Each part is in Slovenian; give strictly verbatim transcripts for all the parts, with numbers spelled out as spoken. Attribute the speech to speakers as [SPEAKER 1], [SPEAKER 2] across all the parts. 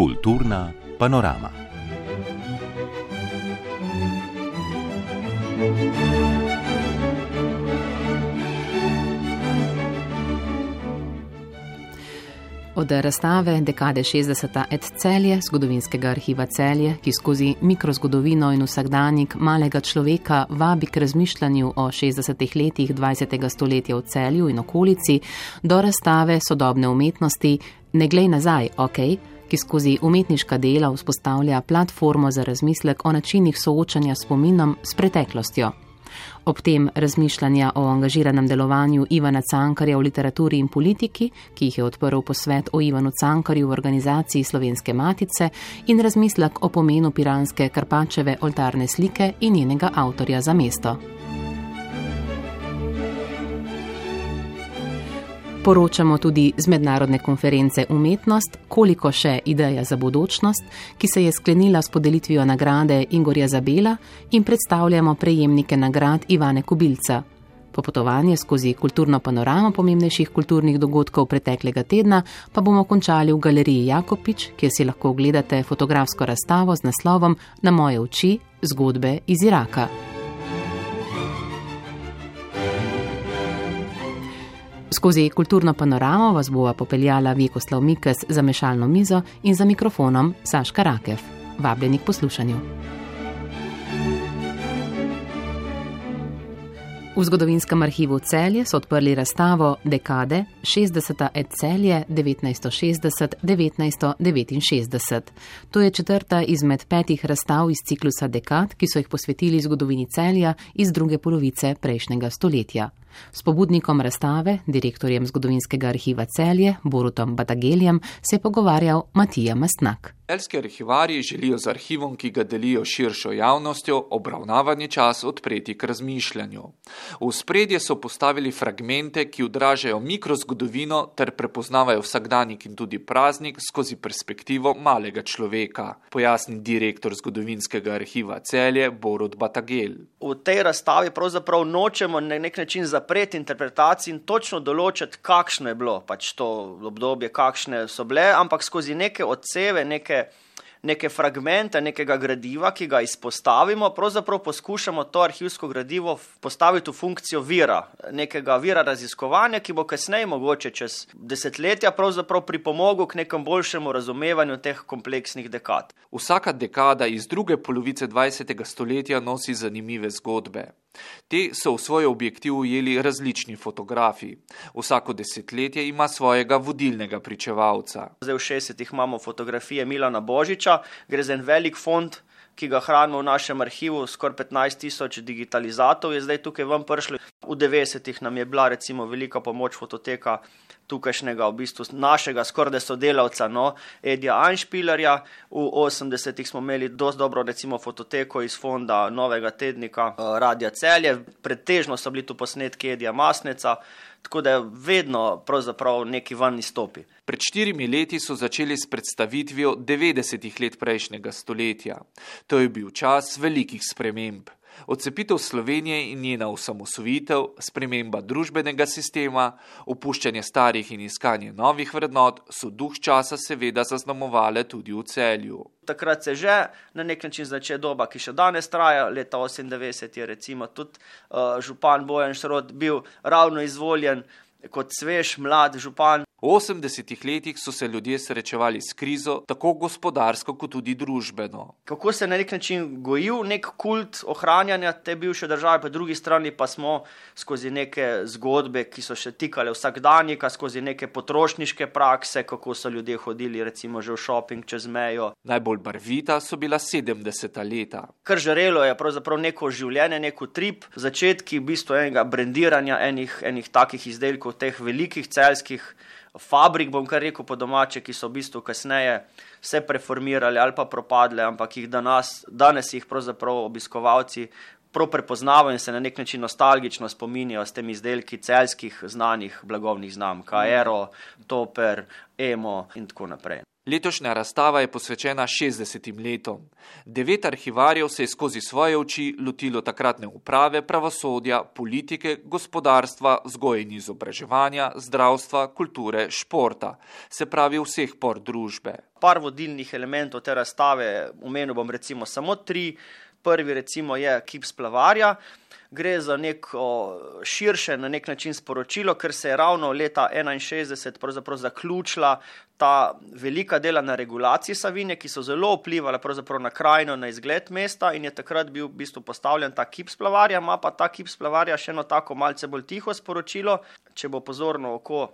[SPEAKER 1] Kulturna panorama.
[SPEAKER 2] Od razstave Dekade šestdeseta et Celje, zgodovinskega arhiva Celje, ki skozi mikrozgodovino in vsakdanjik malega človeka vabi k razmišljanju o šestdesetih letih dvajsetega stoletja v Celju in okolici, do razstave sodobne umetnosti Ne glej nazaj, ok, ki skozi umetniška dela vzpostavlja platformo za razmislek o načinih soočanja s spominom s preteklostjo. Ob tem razmišljanja o angažiranem delovanju Ivana Cankarja v literaturi in politiki, ki jih je odprl posvet o Ivanu Cankarju v organizaciji Slovenske matice, in razmislek o pomenu piranske Karpačeve oltarne slike in njenega avtorja za mesto. Poročamo tudi z mednarodne konference Umetnost, koliko še ideja za bodočnost, ki se je sklenila s podelitvijo nagrade Ingorja Zabela, in predstavljamo prejemnike nagrad Ivane Kubilca. Popotovanje skozi kulturno panoramo pomembnejših kulturnih dogodkov preteklega tedna pa bomo končali v galeriji Jakopič, kjer si lahko ogledate fotografsko razstavo z naslovom Na moje oči, zgodbe iz Iraka. Skozi kulturno panoramo vas bova popeljala Vjekoslav Mikes za mešalno mizo in za mikrofonom Saška Rakev. Vabljeni k poslušanju. V zgodovinskem arhivu Celje so odprli razstavo Dekade šestdeseta et Celje devetnajststo šestdeset do devetnajststo devetinšestdeset. To je četrta izmed petih razstav iz ciklusa dekad, ki so jih posvetili zgodovini Celja iz druge polovice prejšnjega stoletja. S pobudnikom razstave, direktorjem zgodovinskega arhiva Celje, Borutom Batageljem, se je pogovarjal Matija Mastnak.
[SPEAKER 3] Celjski arhivarji želijo z arhivom, ki ga delijo širšo javnostjo, obravnavani čas odpreti k razmišljanju. V ospredje so postavili fragmente, ki odražajo mikrozgodovino ter prepoznavajo vsakdanjik in tudi praznik skozi perspektivo malega človeka, pojasni direktor zgodovinskega arhiva Celje Borut Batagel.
[SPEAKER 4] V tej razstavi pravzaprav nočemo na nek način zapreti interpretacij in točno določiti, kakšno je bilo pač to obdobje, kakšne so bile, ampak skozi neke odseve, neke neke fragmente, nekega gradiva, ki ga izpostavimo, pravzaprav poskušamo to arhivsko gradivo postaviti v funkcijo vira, nekega vira raziskovanja, ki bo kasneje mogoče čez desetletja pravzaprav pripomogel k nekem boljšemu razumevanju teh kompleksnih dekad.
[SPEAKER 3] Vsaka dekada iz druge polovice dvajsetega stoletja nosi zanimive zgodbe. Te so v svoj objektiv ujeli različni fotografi. Vsako desetletje ima svojega vodilnega pričevalca.
[SPEAKER 4] Zdaj v šestdesetih imamo fotografije Milana Božiča, gre za en velik fond, ki ga hranimo v našem arhivu, skoraj petnajst tisoč digitalizatov je zdaj tukaj ven prišlo. V devetdesetih nam je bila recimo velika pomoč fototeka tukajšnjega, v bistvu našega skoraj sodelavca, no, Edija Anšpilerja. V osemdesetih smo imeli dosti dobro recimo fototeko iz fonda Novega tednika Radia Celje, pretežno so bili tu posnetki Edija Masneca, tako da vedno pravzaprav neki ven izstopi.
[SPEAKER 3] Pred štirimi leti so začeli s predstavitvijo devetdesetih let prejšnjega stoletja. To je bil čas velikih sprememb. Odcepitev Slovenije in njena osamosvojitev, sprememba družbenega sistema, opuščanje starih in iskanje novih vrednot so duh časa seveda zaznamovale tudi v Celju.
[SPEAKER 4] Takrat se že na nek način začne doba, ki še danes traja, leta osemindevetdeset je recimo tudi uh, župan Bojan Šrot bil ravno izvoljen kot svež, mlad župan.
[SPEAKER 3] V osemdesetih letih so se ljudje srečevali s krizo, tako gospodarsko kot tudi družbeno.
[SPEAKER 4] Kako se na nek način gojil nek kult ohranjanja te bivše države, po drugi strani pa smo skozi neke zgodbe, ki so še tikale vsakdanjika, skozi neke potrošniške prakse, kako so ljudje hodili recimo že v šoping čez mejo.
[SPEAKER 3] Najbolj barvita so bila sedemdeseta leta.
[SPEAKER 4] Kar žarelo je pravzaprav neko življenje, neko trip, začetki v bistvu enega brendiranja enih, enih takih izdelkov, teh velikih celjskih fabrik, bom kar rekel po domače, ki so v bistvu kasneje se preformirali ali pa propadle, ampak jih danes, danes jih pravzaprav obiskovalci prav prepoznavajo in se na nek način nostalgično spominjajo s temi izdelki celjskih znanih blagovnih znamk, Aero, Toper, Emo in tako naprej.
[SPEAKER 3] Letošnja razstava je posvečena šestdesetim letom. Devet arhivarjev se je skozi svoje oči lotilo takratne uprave, pravosodja, politike, gospodarstva, vzgoje in izobraževanja, zdravstva, kulture, športa, se pravi vseh por družbe.
[SPEAKER 4] Par vodilnih elementov te razstave, omenil bom recimo samo tri. Prvi recimo je kip splavarja. Gre za neko širše na nek način sporočilo, ker se je ravno leta enainšestdeset pravzaprav zaključila ta velika dela na regulaciji Savinje, ki so zelo vplivala pravzaprav na krajino, na izgled mesta in je takrat bil v bistvu postavljen ta kip splavarja, ima pa ta kip splavarja še eno tako malce bolj tiho sporočilo. Če bo pozorno oko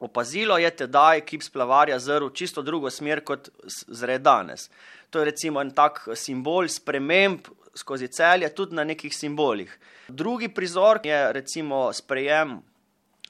[SPEAKER 4] opazilo, je tedaj kip splavarja zrl čisto drugo smer, kot zre danes. To je recimo en tak simbol sprememb skozi Celje, tudi na nekih simbolih. Drugi prizor je recimo sprejem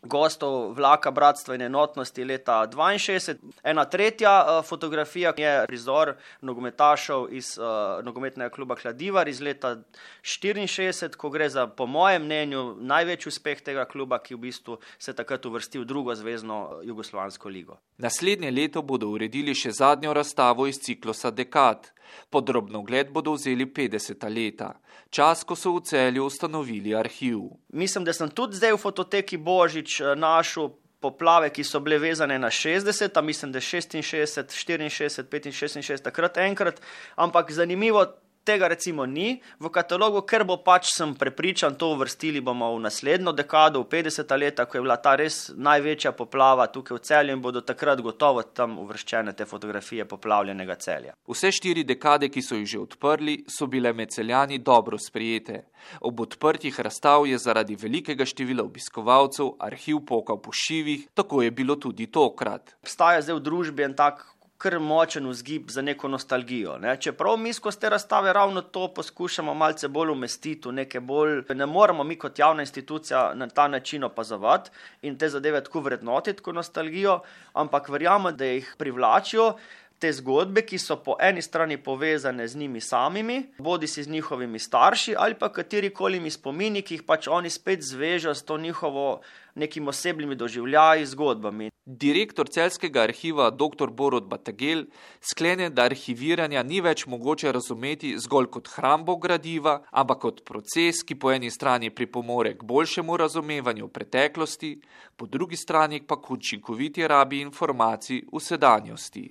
[SPEAKER 4] gostov vlaka Bratstva in enotnosti leta dvainšestdeset. Ena tretja fotografija je prizor nogometašev iz uh, nogometnega kluba Kladivar iz leta štiriinšestdeset, ko gre za, po mojem mnenju, največji uspeh tega kluba, ki v bistvu se takrat uvrstil v drugo zvezno jugoslovansko ligo.
[SPEAKER 3] Naslednje leto bodo uredili še zadnjo razstavo iz ciklusa Dekad. Podrobno ogled bodo vzeli petdeseta leta, čas, ko so v Celju ustanovili arhiv.
[SPEAKER 4] Mislim, da sem tudi zdaj v fototeki Božič našel poplave, ki so bile vezane na šestdeseta, mislim, da šestinšestdeset, štiriinšestdeset, petinšestdeset, šestinšestdeset, takrat enkrat, ampak zanimivo, tega recimo ni v katalogu, ker bo pač, sem prepričan, to uvrstili bomo v naslednjo dekado, v petdeseta leta, ko je bila ta res največja poplava tukaj v Celju in bodo takrat gotovo tam uvrščene te fotografije poplavljenega Celja.
[SPEAKER 3] Vse štiri dekade, ki so jih že odprli, so bile med Celjani dobro sprejete. Ob odprtjih razstav je zaradi velikega števila obiskovalcev arhiv pokal po šivih, tako je bilo tudi tokrat.
[SPEAKER 4] Obstaja zdaj v družbi en tak kar močen vzgib za neko nostalgijo. Ne? Čeprav mi skozi te razstave ravno to poskušamo malce bolj umestiti, neke bolj, ne moramo mi kot javna institucija na ta način opazovati in te zadeve tako vrednotiti kot nostalgijo, ampak verjamem, da jih privlačijo te zgodbe, ki so po eni strani povezane z njimi samimi, bodi si z njihovimi starši ali pa katerikolimi spomini, ki jih pač oni spet zvežejo s to njihovo nekimi osebnimi doživljaji, zgodbami.
[SPEAKER 3] Direktor Celjskega arhiva dr. Borut Bategel sklene, da arhiviranja ni več mogoče razumeti zgolj kot hrambo gradiva, ampak kot proces, ki po eni strani pripomore k boljšemu razumevanju preteklosti, po drugi strani pa k učinkoviti rabi informacij v sedanjosti.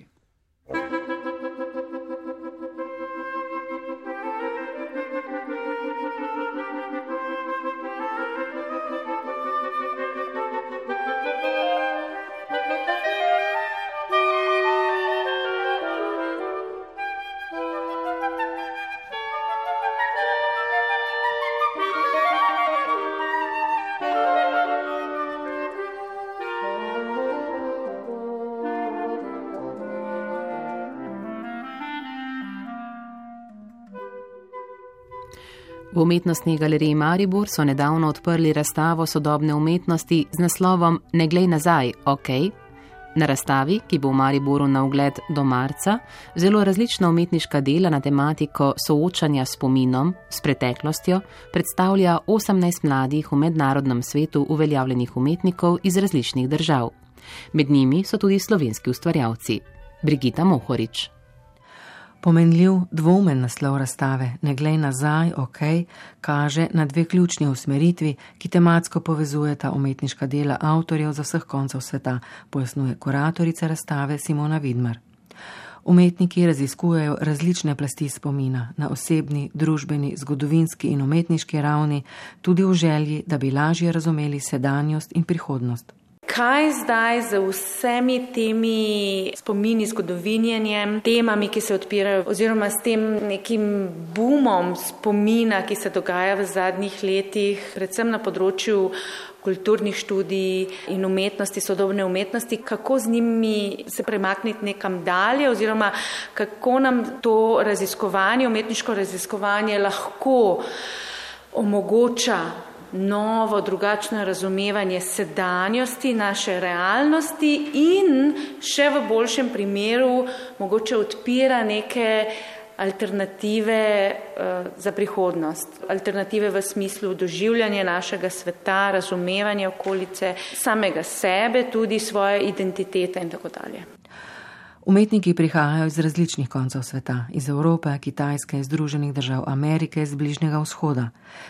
[SPEAKER 2] V Umetnostni galeriji Maribor so nedavno odprli razstavo sodobne umetnosti z naslovom Ne glej nazaj, ok. Na razstavi, ki bo v Mariboru na ogled do marca, zelo različna umetniška dela na tematiko soočanja s spominom, s preteklostjo, predstavlja osemnajst mladih v mednarodnem svetu uveljavljenih umetnikov iz različnih držav. Med njimi so tudi slovenski ustvarjalci. Brigita Mohorič.
[SPEAKER 5] Pomenljiv, dvoumen naslov razstave Ne glej nazaj, ok, kaže na dve ključni usmeritvi, ki tematsko povezujeta umetniška dela avtorjev za vseh koncev sveta, pojasnjuje kuratorica razstave Simona Vidmar. Umetniki raziskujejo različne plasti spomina na osebni, družbeni, zgodovinski in umetniški ravni, tudi v želji, da bi lažje razumeli sedanjost in prihodnost.
[SPEAKER 6] Kaj zdaj z vsemi temi spomini, zgodovinjenjem, temami, ki se odpirajo, oziroma s tem nekim boomom spomina, ki se dogaja v zadnjih letih, predvsem na področju kulturnih študij in umetnosti, sodobne umetnosti, kako z njimi se premakniti nekam dalje, oziroma kako nam to raziskovanje, umetniško raziskovanje lahko omogoča novo, drugačno razumevanje sedanjosti, naše realnosti in še v boljšem primeru mogoče odpira neke alternative uh, za prihodnost. Alternative v smislu doživljanja našega sveta, razumevanja okolice, samega sebe, tudi svoje identitete in tako dalje.
[SPEAKER 5] Umetniki prihajajo iz različnih koncev sveta, iz Evrope, Kitajske, Združenih držav Amerike, z Bližnjega vzhoda.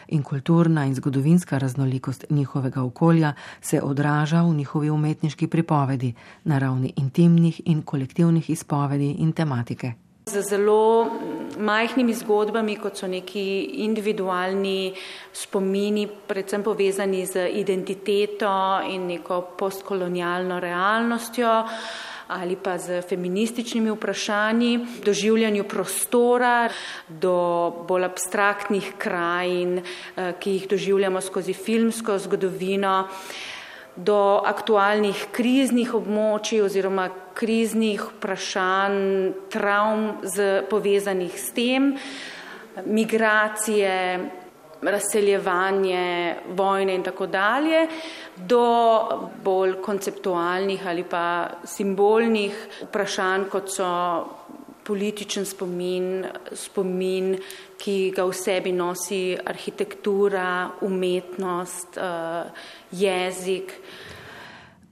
[SPEAKER 5] In kulturna in zgodovinska raznolikost njihovega okolja se odraža v njihovi umetniški pripovedi na ravni intimnih in kolektivnih izpovedi in tematike.
[SPEAKER 6] Z zelo majhnimi zgodbami, kot so neki individualni spomini, predvsem povezani z identiteto in neko postkolonialno realnostjo, ali pa z feminističnimi vprašanji, doživljanju prostora, do bolj abstraktnih krajin, ki jih doživljamo skozi filmsko zgodovino, do aktualnih kriznih območij oziroma kriznih vprašanj, travm z, povezanih s tem, migracije, razseljevanje, vojne in tako dalje, do bolj konceptualnih ali pa simbolnih vprašanj, kot so političen spomin, spomin, ki ga v sebi nosi arhitektura, umetnost, jezik.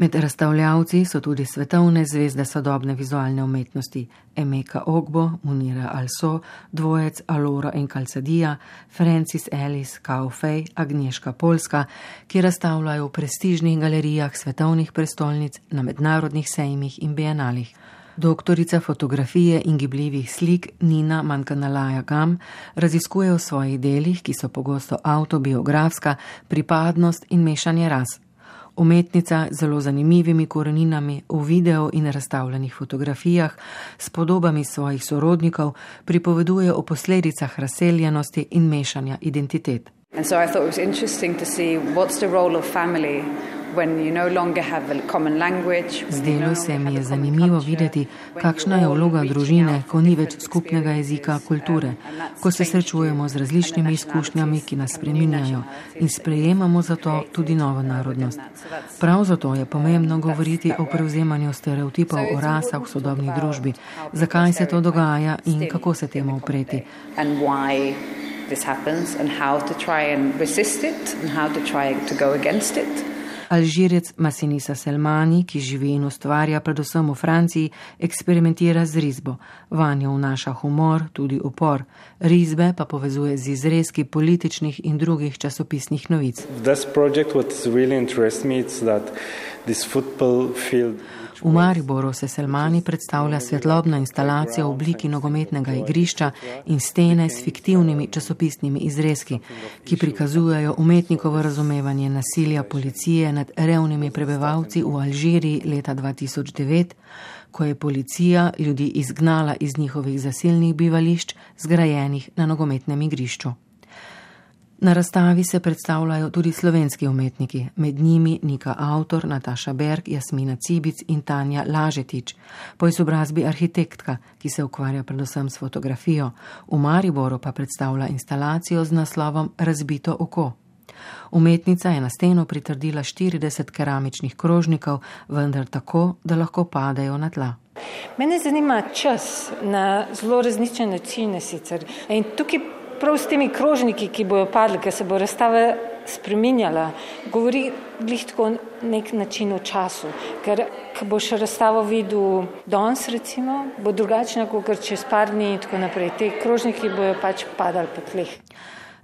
[SPEAKER 5] Med razstavljavci so tudi svetovne zvezde sodobne vizualne umetnosti Emeka Ogbo, Munira Also, dvojec Alora in Calzadilla, Francis Ellis, Kao Fei, Agnieszka Polska, ki razstavljajo v prestižnih galerijah svetovnih prestolnic, na mednarodnih sejmih in bienalih. Doktorica fotografije in gibljivih slik Nina Mankanalaya Gam raziskuje v svojih delih, ki so pogosto avtobiografska, pripadnost in mešanje ras. Umetnica z zelo zanimivimi koreninami v videu in razstavljenih fotografijah s podobami svojih sorodnikov pripoveduje o posledicah razseljenosti in mešanja identitet.
[SPEAKER 7] And so I thought it was interesting to see what's the role of family when you no longer have a common language.
[SPEAKER 5] Zdelo se mi je zanimivo videti, kakšna je vloga družine, ko ni več skupnega jezika, kulture, ko se srečujemo z različnimi izkušnjami, ki nas spreminjajo in sprejemamo zato tudi novo narodnost. Prav zato je pomembno govoriti o prevzemanju stereotipov o rasah v sodobni družbi, zakaj se to dogaja in kako se temu upreti.
[SPEAKER 7] This happens and how to try and resist it and how to try to go against it.
[SPEAKER 5] Alžirec Masinisa Selmani, ki živi in ustvarja predvsem v Franciji, eksperimentira z risbo. Vanjo vnaša humor, tudi upor. Risbe pa povezuje z izrezki političnih in drugih časopisnih novic.
[SPEAKER 8] This project what really interests me is that this football field.
[SPEAKER 5] V Mariboru se Selmani predstavlja svetlobna instalacija v obliki nogometnega igrišča in stene s fiktivnimi časopisnimi izrezki, ki prikazujejo umetnikovo razumevanje nasilja policije nad revnimi prebivalci v Alžiriji leta dva tisoč devet, ko je policija ljudi izgnala iz njihovih zasilnih bivališč, zgrajenih na nogometnem igrišču. Na razstavi se predstavljajo tudi slovenski umetniki, med njimi Nika Avtor, Nataša Berg, Jasmina Cibic in Tanja Lažetič, po izobrazbi arhitektka, ki se ukvarja predvsem s fotografijo. V Mariboru pa predstavlja instalacijo z naslovom Razbito oko. Umetnica je na steno pritrdila štirideset keramičnih krožnikov, vendar tako, da lahko padejo na tla.
[SPEAKER 9] Mene zanima čas na zelo različne načine sicer. In tukaj prav s temi krožniki, ki bojo padli, ker se bo razstava spreminjala, govori glih tako nek način o času. Ker ko boš razstavo videl danes recimo, bo drugačna, kot čez par dni in tako naprej. Te krožniki bojo pač padali po tleh.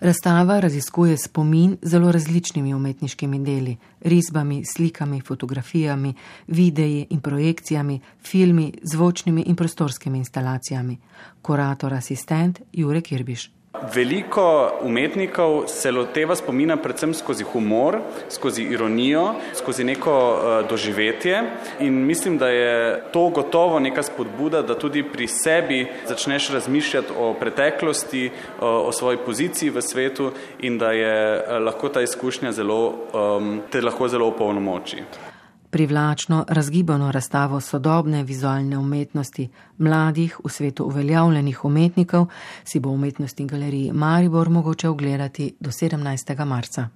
[SPEAKER 5] Razstava raziskuje spomin z zelo različnimi umetniškimi deli, risbami, slikami, fotografijami, videi in projekcijami, filmi, zvočnimi in prostorskimi instalacijami. Kurator asistent Jure Kirbiš.
[SPEAKER 10] Veliko umetnikov se loteva spomina predvsem skozi humor, skozi ironijo, skozi neko uh, doživetje in mislim, da je to gotovo neka spodbuda, da tudi pri sebi začneš razmišljati o preteklosti, uh, o svoji poziciji v svetu in da je uh, lahko ta izkušnja zelo, um, te lahko zelo opolnomoči.
[SPEAKER 5] Privlačno, razgibano razstavo sodobne vizualne umetnosti mladih v svetu uveljavljenih umetnikov si bo v Umetnostni galeriji Maribor mogoče ogledati do sedemnajstega marca.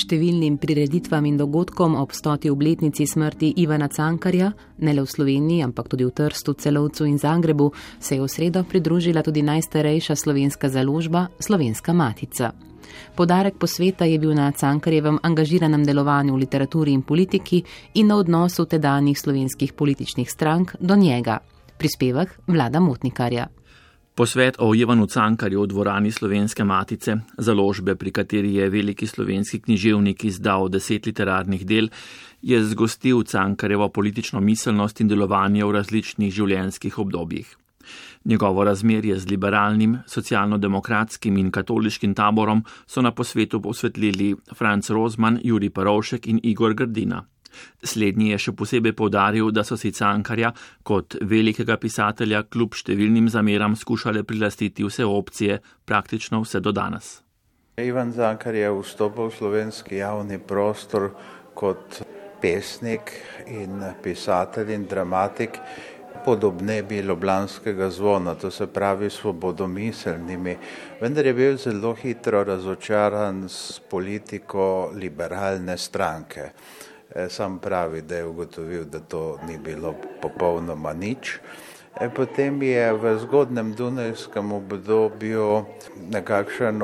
[SPEAKER 2] številnim prireditvam in dogodkom ob stoti obletnici smrti Ivana Cankarja, ne le v Sloveniji, ampak tudi v Trstu, Celovcu in Zagrebu, se je v sredo pridružila tudi najstarejša slovenska založba Slovenska matica. Podarek posveta je bil na Cankarjevem angažiranem delovanju v literaturi in politiki in na odnosu tedanjih slovenskih političnih strank do njega. Prispevek Vlada Motnikarja.
[SPEAKER 11] Posvet o Ivanu Cankarju v dvorani Slovenske matice, založbe, pri kateri je veliki slovenski književnik izdal deset literarnih del, je zgostil Cankarjevo politično miselnost in delovanje v različnih življenjskih obdobjih. Njegovo razmerje z liberalnim, socialno-demokratskim in katoliškim taborom so na posvetu posvetlili Franc Rozman, Jurij Perovšek in Igor Grdina. Slednji je še posebej poudaril, da so si Cankarja kot velikega pisatelja kljub številnim zameram skušale prilastiti vse opcije, praktično vse do danes.
[SPEAKER 12] Ivan Cankar je vstopil v slovenski javni prostor kot pesnik in pisatelj in dramatik podobnebi ljubljanskega zvona, to se pravi svobodomiselnimi, vendar je bil zelo hitro razočaran s politiko liberalne stranke. Sam pravi, da je ugotovil, da to ni bilo popolnoma nič. Potem je v zgodnem dunajskem obdobju nekakšen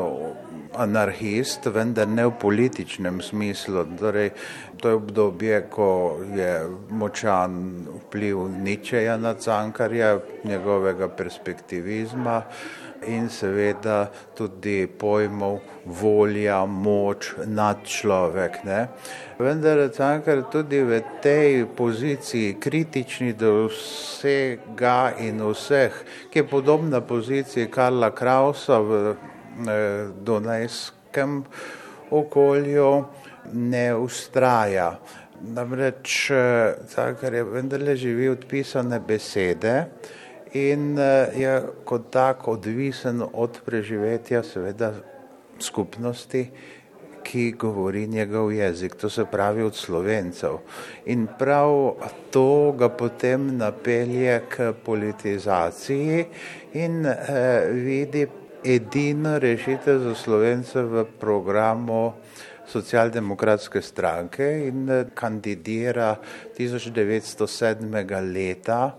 [SPEAKER 12] anarhist, vendar ne v političnem smislu. Torej, to je obdobje, ko je močan vpliv Nietzscheja na Cankarja, njegovega perspektivizma in seveda tudi pojmov volja, moč, nadčlovek. Ne? Vendar Cankar tudi v tej poziciji kritični do vsega in vseh, ki je podobna poziciji Karla Krausa v dunajskem okolju, ne ustraja. Namreč Cankar je vendarle živi od pisane besede in je kot tak odvisen od preživetja seveda skupnosti, ki govori njegov jezik, to se pravi od Slovencev. In prav to ga potem napelje k politizaciji in eh, vidi edino rešitev za Slovence v programu Socialdemokratske stranke in kandidira tisoč devetsto sedmega leta.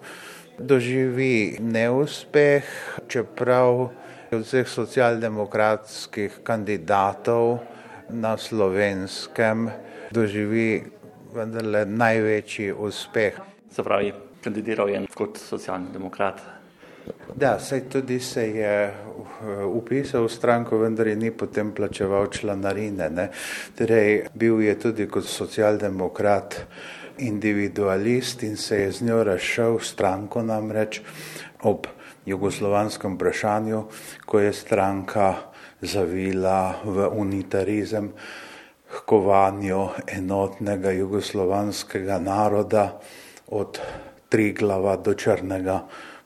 [SPEAKER 12] Doživi neuspeh, čeprav od vseh socialdemokratskih kandidatov na Slovenskem doživi vendarle največji uspeh.
[SPEAKER 13] Se pravi, kandidiral je kot socialni demokrat.
[SPEAKER 12] Da, saj tudi se je upisal v stranko, vendar je ni potem plačeval članarine. Ne? Torej, bil je tudi kot socialdemokrat individualist in se je z njo razšel stranko namreč ob jugoslovanskem vprašanju, ko je stranka zavila v unitarizem, h kovanju enotnega jugoslovanskega naroda od Triglava do Črnega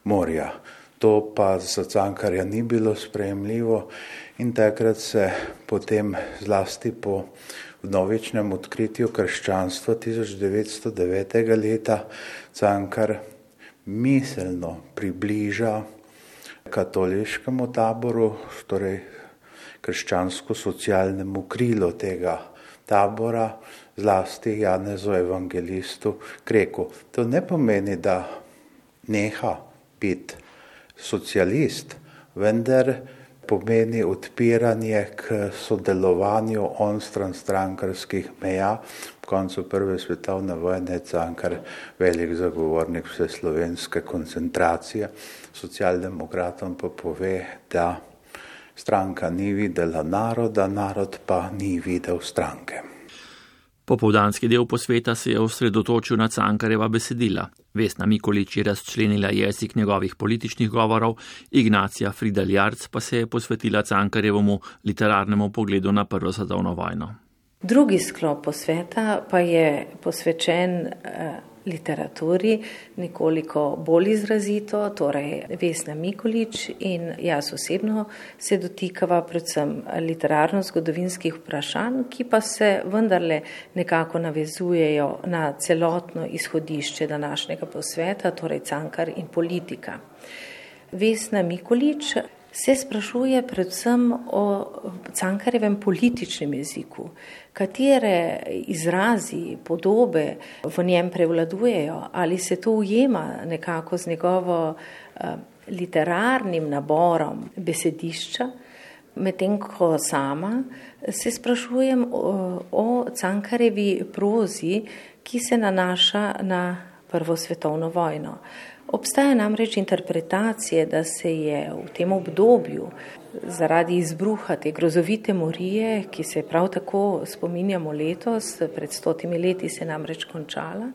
[SPEAKER 12] morja. To pa za Cankarja ni bilo sprejemljivo in takrat se potem zlasti po vnovičnem odkritju krščanstva tisoč devetsto devetega leta Cankar miselno približa katoliškemu taboru, torej krščansko-socialnemu krilu tega tabora, zlasti Janezu evangelistu Kreku. To ne pomeni, da neha biti socialist, vendar pomeni odpiranje k sodelovanju onstran strankarskih meja. V koncu prve svetovne vojne je Cankar velik zagovornik vseslovenske koncentracije. Socialdemokratom pa pove, da stranka ni videla naroda, narod pa ni videl stranke.
[SPEAKER 11] Popoldanski del posveta se je osredotočil na Cankarjeva besedila. Vesna Mikolič je razčlenila jezik njegovih političnih govorov, Ignacija Fridel Jarc pa se je posvetila Cankarjevemu literarnemu pogledu na prvo svetovno vojno.
[SPEAKER 14] Drugi sklop posveta pa je posvečen eh, literaturi nekoliko bolj izrazito, torej Vesna Mikolič in jaz osebno se dotikava predvsem literarno-zgodovinskih vprašanj, ki pa se vendarle nekako navezujejo na celotno izhodišče današnjega posveta, torej Cankar in politika. Vesna Mikolič se sprašuje predvsem o Cankarjevem političnem jeziku, katere izrazi, podobe v njem prevladujejo, ali se to ujema nekako z njegovo literarnim naborom besedišča, medtem ko sama se sprašujem o, o Cankarjevi prozi, ki se nanaša na Prvo svetovno vojno. Obstaja namreč interpretacije, da se je v tem obdobju zaradi izbruha te grozovite morije, ki se prav tako spominjamo letos, pred stotimi leti se namreč končala,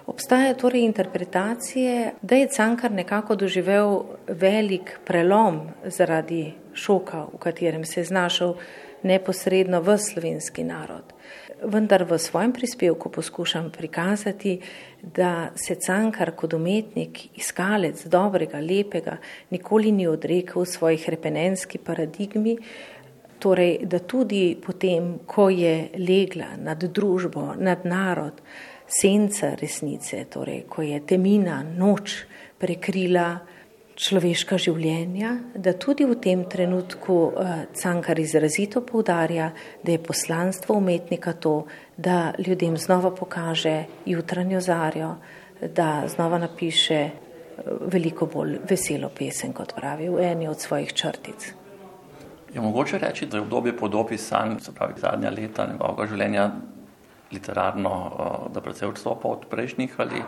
[SPEAKER 14] obstaja torej interpretacije, da je Cankar nekako doživel velik prelom zaradi šoka, v katerem se je znašel neposredno v slovenski narod. Vendar v svojem prispevku poskušam prikazati, da se Cankar kot umetnik, iskalec dobrega, lepega, nikoli ni odrekel svojih repenenski paradigmi, torej da tudi potem, ko je legla nad družbo, nad narod, senca resnice, torej ko je temina, noč prekrila človeška življenja, da tudi v tem trenutku Cankar izrazito poudarja, da je poslanstvo umetnika to, da ljudem znova pokaže jutranjo zarjo, da znova napiše veliko bolj veselo pesem, kot pravi v eni od svojih črtic.
[SPEAKER 13] Je mogoče reči, da je obdobje po dopisanju, se pravi zadnja leta njegovega življenja, literarno, da precej odstopa od prejšnjih, ali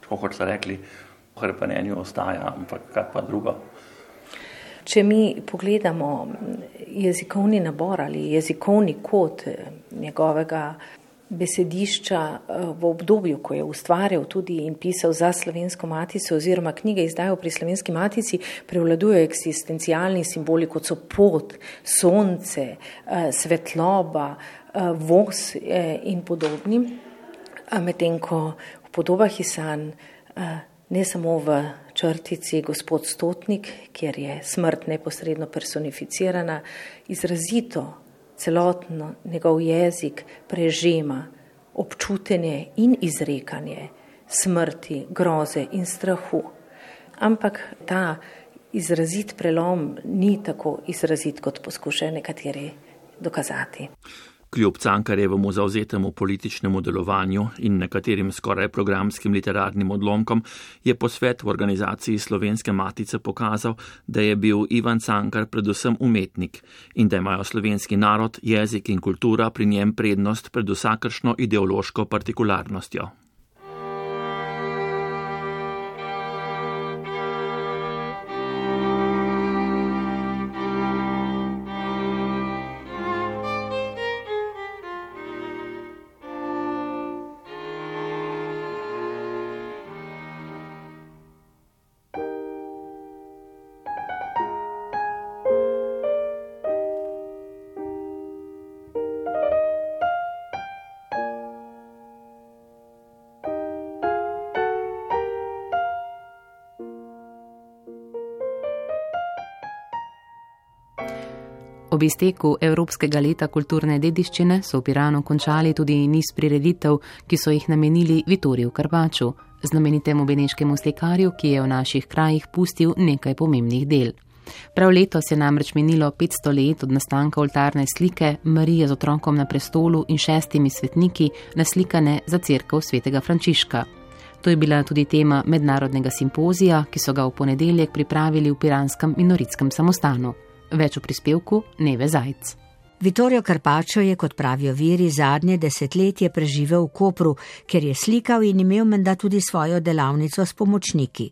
[SPEAKER 13] tako kot ste rekli, v hrepenenju ostaja, ampak kaj pa drugo?
[SPEAKER 14] Če mi pogledamo jezikovni nabor ali jezikovni kod njegovega besedišča v obdobju, ko je ustvarjal tudi in pisal za Slovensko matico oziroma knjige izdajal pri Slovenski matici, prevladujejo eksistencialni simboli, kot so pot, sonce, svetloba, voz in podobni, medtem ko v podobah iz sanj ne samo v črtici Gospod Stotnik, kjer je smrt neposredno personificirana, izrazito celotno njegov jezik prežema občutenje in izrekanje smrti, groze in strahu. Ampak ta izrazit prelom ni tako izrazit, kot poskušajo nekateri dokazati.
[SPEAKER 11] Kljub Cankarjevemu zavzetemu političnemu delovanju in nekaterim skoraj programskim literarnim odlomkom je posvet v organizaciji Slovenske matice pokazal, da je bil Ivan Cankar predvsem umetnik in da imajo slovenski narod, jezik in kultura pri njem prednost pred vsakršno ideološko partikularnostjo.
[SPEAKER 2] Ob izteku Evropskega leta kulturne dediščine so v Piranu končali tudi niz prireditev, ki so jih namenili Vittoriju Carpacciu, znamenitemu beneškemu slikarju, ki je v naših krajih pustil nekaj pomembnih del. Prav letos je namreč minilo petsto let od nastanka oltarne slike Marije z otrokom na prestolu in šestimi svetniki, naslikane za cerkev svetega Frančiška. To je bila tudi tema mednarodnega simpozija, ki so ga v ponedeljek pripravili v piranskem minoritskem samostanu. Več v prispevku Neve Zajc.
[SPEAKER 15] Vittorio Carpaccio je, kot pravijo viri, zadnje desetletje preživel v Kopru, ker je slikal in imel menda tudi svojo delavnico s pomočniki.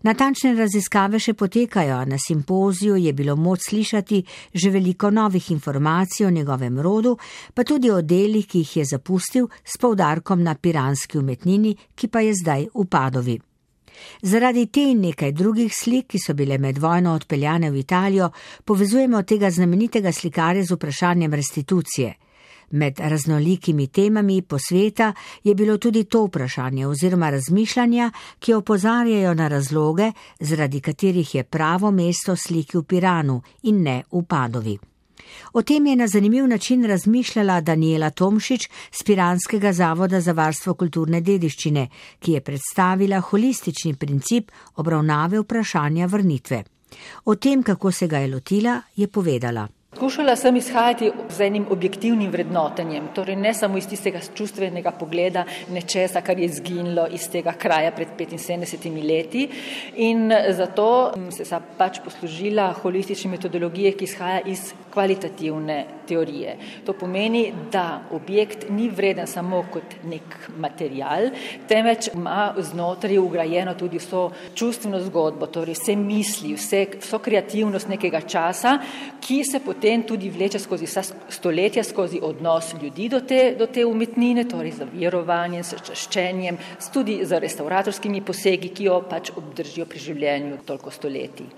[SPEAKER 15] Natančne raziskave še potekajo, a na simpoziju je bilo moč slišati že veliko novih informacij o njegovem rodu, pa tudi o delih, ki jih je zapustil, s poudarkom na piranski umetnini, ki pa je zdaj v Padovi. Zaradi te in nekaj drugih slik, ki so bile med vojno odpeljane v Italijo, povezujemo tega znamenitega slikarja z vprašanjem restitucije. Med raznolikimi temami posveta je bilo tudi to vprašanje oziroma razmišljanja, ki opozarjajo na razloge, zaradi katerih je pravo mesto sliki v Piranu in ne v Padovi. O tem je na zanimiv način razmišljala Daniela Tomšič z Piranskega zavoda za varstvo kulturne dediščine, ki je predstavila holistični princip obravnave vprašanja vrnitve. O tem, kako se ga je lotila, je povedala.
[SPEAKER 16] Skušala sem izhajati z enim objektivnim vrednotenjem, torej ne samo iz tistega čustvenega pogleda nečesa, kar je izginilo iz tega kraja pred petinsedemdesetimi leti, in zato sem se pač poslužila holistične metodologije, ki izhaja iz kvalitativne teorije. To pomeni, da objekt ni vreden samo kot nek material, temveč ima znotraj ugrajeno tudi vso čustveno zgodbo, torej vse misli, vse, vso kreativnost nekega časa, ki se potem tudi vleče skozi vsa stoletja, skozi odnos ljudi do te, do te umetnine, torej z verovanjem, s čaščenjem, tudi z restauratorskimi posegi, ki jo pač obdržijo pri življenju toliko stoletij.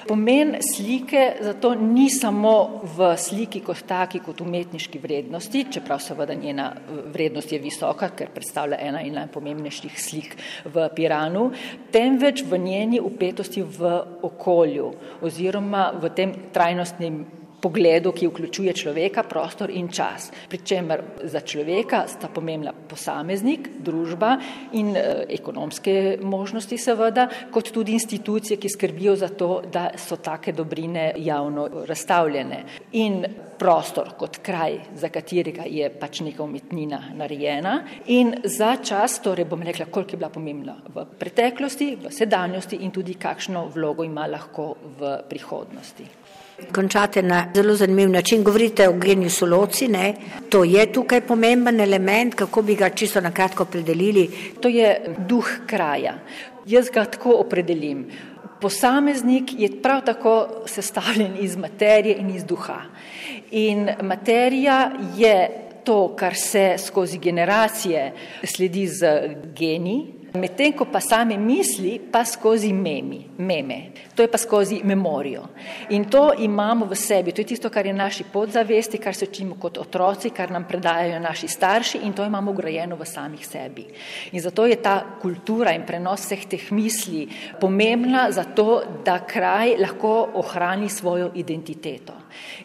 [SPEAKER 16] Pomen slike zato ni samo v sliki kot taki, kot umetniški vrednosti, čeprav seveda njena vrednost je visoka, ker predstavlja ena in najpomembnejših slik v Piranu, temveč v njeni vpetosti v okolju oziroma v tem trajnostnem pogledu, ki vključuje človeka, prostor in čas. Pričemer za človeka sta pomembna posameznik, družba in e, ekonomske možnosti seveda, kot tudi institucije, ki skrbijo za to, da so take dobrine javno razstavljene. In prostor kot kraj, za katerega je pač neka umetnina narejena, in za čas, torej bom rekla, koliko je bila pomembna v preteklosti, v sedanjosti in tudi kakšno vlogo ima lahko v prihodnosti.
[SPEAKER 15] Končate na zelo zanimiv način, govorite o geniusu loci, ne? To je tukaj pomemben element, kako bi ga čisto na kratko opredelili?
[SPEAKER 16] To je duh kraja. Jaz ga tako opredelim. Posameznik je prav tako sestavljen iz materije in iz duha. In materija je to, kar se skozi generacije sledi z geni, medtem ko pa same misli pa skozi memi, meme. To je pa skozi memorijo. In to imamo v sebi, to je tisto, kar je naši podzavesti, kar se učimo kot otroci, kar nam predajajo naši starši in to imamo ugrajeno v samih sebi. In zato je ta kultura in prenos vseh teh misli pomembna zato, da kraj lahko ohrani svojo identiteto.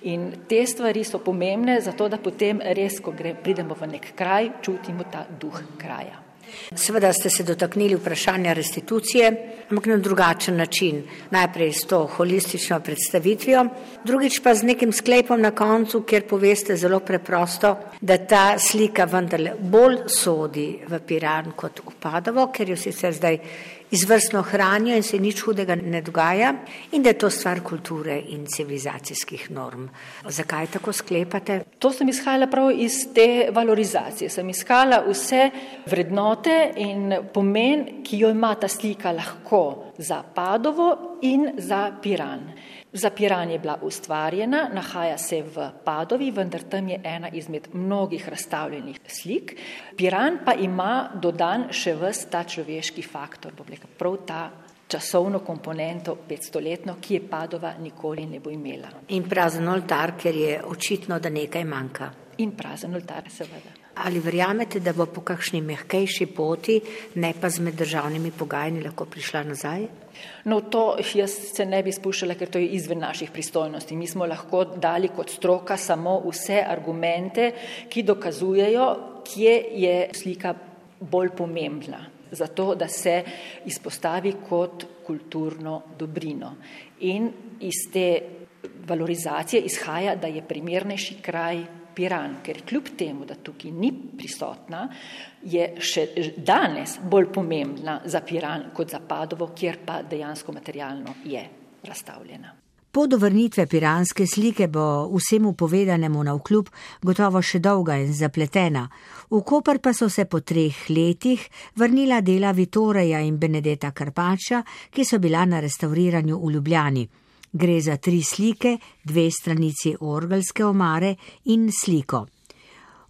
[SPEAKER 16] In te stvari so pomembne zato, da potem res, ko gre, pridemo v nek kraj, čutimo ta duh kraja.
[SPEAKER 15] Seveda ste se dotaknili vprašanja restitucije, ampak na drugačen način. Najprej s to holistično predstavitvijo, drugič pa z nekim sklepom na koncu, kjer poveste zelo preprosto, da ta slika vendarle bolj sodi v Piran kot v Padovo, ker jo sicer zdaj izvrstno hranijo in se nič hudega ne dogaja in da je to stvar kulture in civilizacijskih norm. Zakaj tako sklepate?
[SPEAKER 16] To sem izhajala prav iz te valorizacije. Sem iskala vse vrednote in pomen, ki jo ima ta slika lahko za Padovo in za Piran. Za Piran je bila ustvarjena, nahaja se v Padovi, vendar tam je ena izmed mnogih razstavljenih slik. Piran pa ima dodan še ves ta človeški faktor, bom rekel, prav ta časovno komponento petstoletno, ki je Padova nikoli ne bo imela.
[SPEAKER 15] In prazen oltar, ker je očitno, da nekaj manjka.
[SPEAKER 16] In prazen oltar, seveda.
[SPEAKER 15] Ali verjamete, da bo po kakšni mehkejši poti, ne pa z meddržavnimi pogajanji, lahko prišla nazaj?
[SPEAKER 16] No, to jaz se ne bi spuščala, ker to je izven naših pristojnosti. Mi smo lahko dali kot stroka samo vse argumente, ki dokazujejo, kje je slika bolj pomembna, zato da se izpostavi kot kulturno dobrino. In iz te valorizacije izhaja, da je primernejši kraj Piran, ker kljub temu, da tukaj ni prisotna, je še danes bolj pomembna za Piran kot za Padovo, kjer pa dejansko materialno je razstavljena.
[SPEAKER 15] Po dovrnitve piranske slike bo vsemu povedanemu navkljub gotovo še dolga in zapletena. V Koper pa so se po treh letih vrnila dela Vittoreja in Benedeta Carpaccia, ki so bila na restavriranju v Ljubljani. Gre za tri slike, dve stranici orgelske omare in sliko.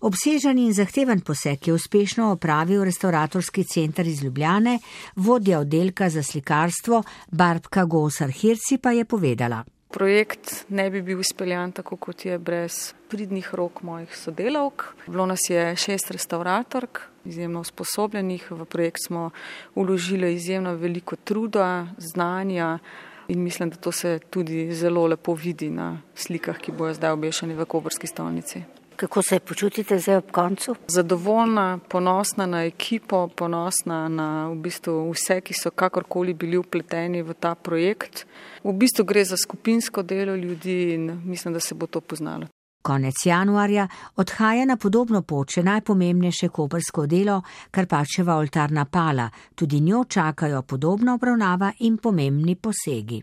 [SPEAKER 15] Obsežen in zahteven poseg je uspešno opravil restauratorski center iz Ljubljane, vodja oddelka za slikarstvo Barbka Gosar-Hirci pa je povedala.
[SPEAKER 17] Projekt ne bi bil izpeljan tako, kot je brez pridnih rok mojih sodelavk. Bilo nas je šest restauratork, izjemno usposobljenih. V projekt smo vložili izjemno veliko truda, znanja, in mislim, da to se tudi zelo lepo vidi na slikah, ki bojo zdaj obešeni v koprski stolnici.
[SPEAKER 18] Kako se počutite zdaj ob koncu?
[SPEAKER 17] Zadovoljna, ponosna na ekipo, ponosna na v bistvu vse, ki so kakorkoli bili vpleteni v ta projekt. V bistvu gre za skupinsko delo ljudi in mislim, da se bo to poznalo.
[SPEAKER 15] Konec januarja odhaja na podobno pot še najpomembnejše koprsko delo, Karpačeva oltarna pala. Tudi njo čakajo podobna obravnava in pomembni posegi.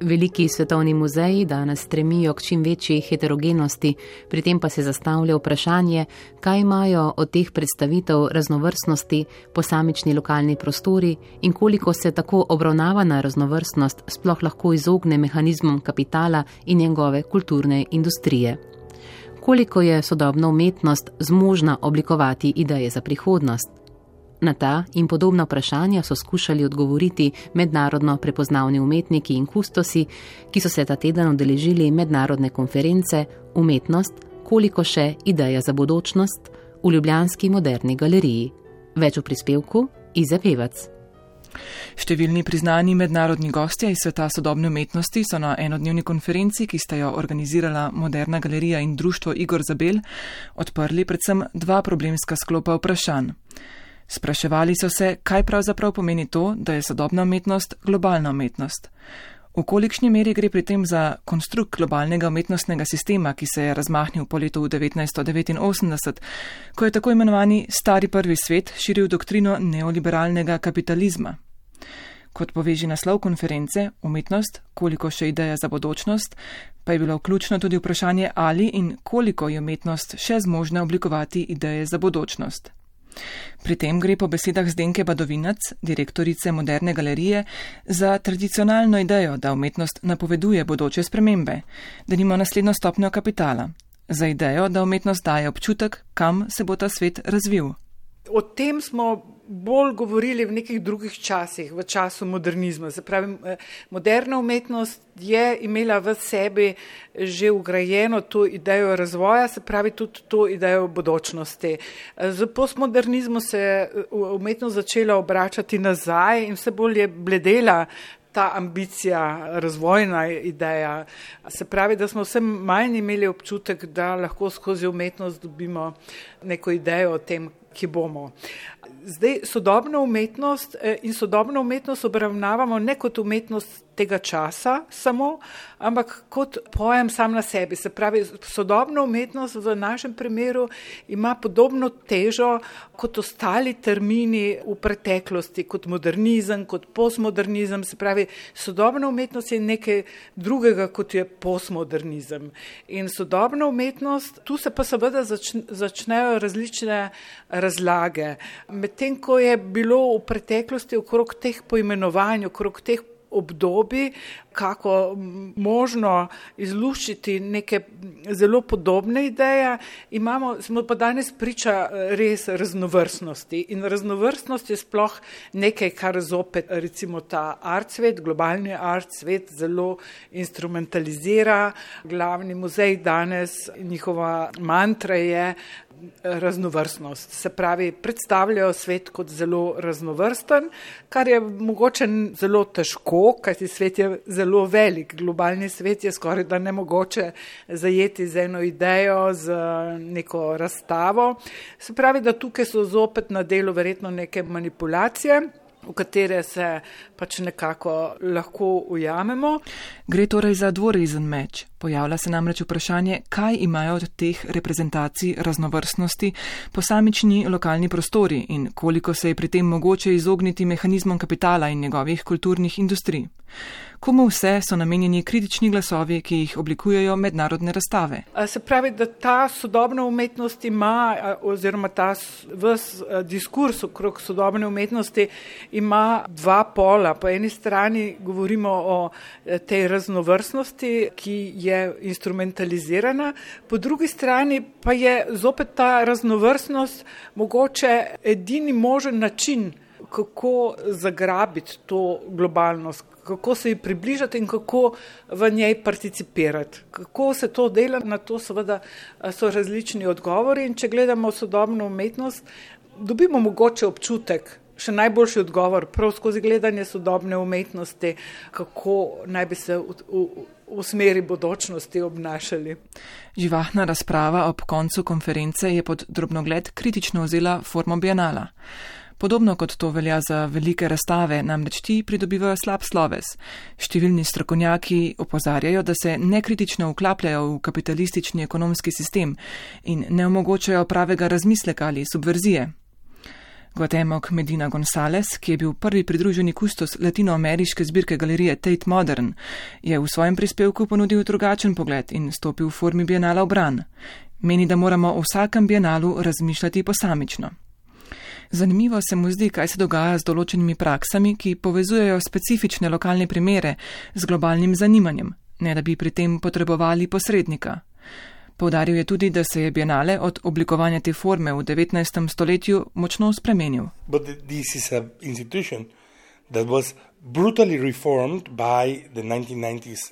[SPEAKER 2] Veliki svetovni muzeji danes stremijo k čim večji heterogenosti, pri tem pa se zastavlja vprašanje, kaj imajo od teh predstavitev raznovrstnosti posamični lokalni prostori in koliko se tako obravnavana raznovrstnost sploh lahko izogne mehanizmom kapitala in njegove kulturne industrije. Koliko je sodobna umetnost zmožna oblikovati ideje za prihodnost? Na ta in podobna vprašanja so skušali odgovoriti mednarodno prepoznavni umetniki in kustosi, ki so se ta teden udeležili mednarodne konference Umetnost, koliko še ideja za bodočnost v ljubljanski Moderni galeriji. Več v prispevku Ize Pevac.
[SPEAKER 19] Številni priznani mednarodni gostje iz sveta sodobne umetnosti so na enodnevni konferenci, ki sta jo organizirala Moderna galerija in društvo Igor Zabel, odprli predvsem dva problemska sklopa vprašanj. Spraševali so se, kaj pravzaprav pomeni to, da je sodobna umetnost globalna umetnost. V kolikšni meri gre pri tem za konstrukt globalnega umetnostnega sistema, ki se je razmahnil po letu devetnajststo devetinosemdeset, ko je tako imenovani stari prvi svet širil doktrino neoliberalnega kapitalizma. Kot poveži naslov konference Umetnost, koliko še ideja za bodočnost, pa je bilo vključno tudi vprašanje, ali in koliko je umetnost še zmožna oblikovati ideje za bodočnost. Pri tem gre po besedah Zdenke Badovinac, direktorice Moderne galerije, za tradicionalno idejo, da umetnost napoveduje bodoče spremembe, da nima naslednjo stopnjo kapitala, za idejo, da umetnost daje občutek, kam se bo ta svet razvil.
[SPEAKER 20] O tem smo bolj govorili v nekih drugih časih, v času modernizma. Se pravi, moderna umetnost je imela v sebi že ugrajeno to idejo razvoja, se pravi tudi to idejo bodočnosti. Z postmodernizmom se je umetnost začela obračati nazaj in vse bolj je bledela ta ambicija, razvojna ideja. Se pravi, da smo vse manj imeli občutek, da lahko skozi umetnost dobimo neko idejo o tem, ki bomo. Zdaj, sodobno umetnost in sodobno umetnost obravnavamo ne kot umetnost tega časa samo, ampak kot pojem sam na sebi. Se pravi, sodobna umetnost v našem primeru ima podobno težo kot ostali termini v preteklosti, kot modernizem, kot postmodernizem. Se pravi, sodobna umetnost je nekaj drugega, kot je postmodernizem. In sodobna umetnost, tu se pa seveda začnejo različne razlage. Medtem ko je bilo v preteklosti okrog teh poimenovanj, okrog teh obdobij, kako možno izluščiti neke zelo podobne ideje, imamo, smo pa danes priča res raznovrstnosti. In raznovrstnost je sploh nekaj, kar zopet recimo ta art svet, globalni art svet zelo instrumentalizira. Glavni muzej danes, njihova mantra je raznovrstnost. Se pravi, predstavljajo svet kot zelo raznovrsten, kar je mogoče zelo težko, kajti svet je zelo velik. Globalni svet je skoraj da nemogoče zajeti z eno idejo, z neko razstavo. Se pravi, da tukaj so zopet na delu verjetno neke manipulacije. v katere se pač nekako lahko ujamemo.
[SPEAKER 19] Gre torej za dvorezen meč. Pojavlja se namreč vprašanje, kaj imajo od teh reprezentacij raznovrstnosti posamični lokalni prostori in koliko se je pri tem mogoče izogniti mehanizmom kapitala in njegovih kulturnih industrij. Komu vse so namenjeni kritični glasovi, ki jih oblikujejo mednarodne razstave?
[SPEAKER 20] Se pravi, da ta sodobna umetnost ima, oziroma ta ves diskurs okrog sodobne umetnosti ima dva pola. Po eni strani govorimo o tej raznovrstnosti, ki je instrumentalizirana, po drugi strani pa je zopet ta raznovrstnost mogoče edini možen način, kako zagrabiti to globalnost, kako se ji približati in kako v njej participirati. Kako se to dela, na to seveda so različni odgovori in če gledamo sodobno umetnost, dobimo mogoče občutek, še najboljši odgovor, prav skozi gledanje sodobne umetnosti, kako naj bi se v, v, v smeri bodočnosti obnašali.
[SPEAKER 19] Živahna razprava ob koncu konference je pod drobnogled kritično vzela formo bienala. Podobno kot to velja za velike razstave, namreč ti pridobivajo slab sloves. Številni strokovnjaki opozarjajo, da se nekritično vklapljajo v kapitalistični ekonomski sistem in ne omogočajo pravega razmisleka ali subverzije. Guatemoc Medina González, ki je bil prvi pridruženi kustos latinoameriške zbirke galerije Tate Modern, je v svojem prispevku ponudil drugačen pogled in stopil v formi bienala v bran. Meni, da moramo o vsakem bienalu razmišljati posamično. Zanimivo se mu zdi, kaj se dogaja z določenimi praksami, ki povezujejo specifične lokalne primere z globalnim zanimanjem, ne da bi pri tem potrebovali posrednika. Poudaril je tudi, da se je bienale od oblikovanja te forme v devetnajstem stoletju močno spremenil.
[SPEAKER 21] But this is an institution that was brutally reformed by the nineteen nineties.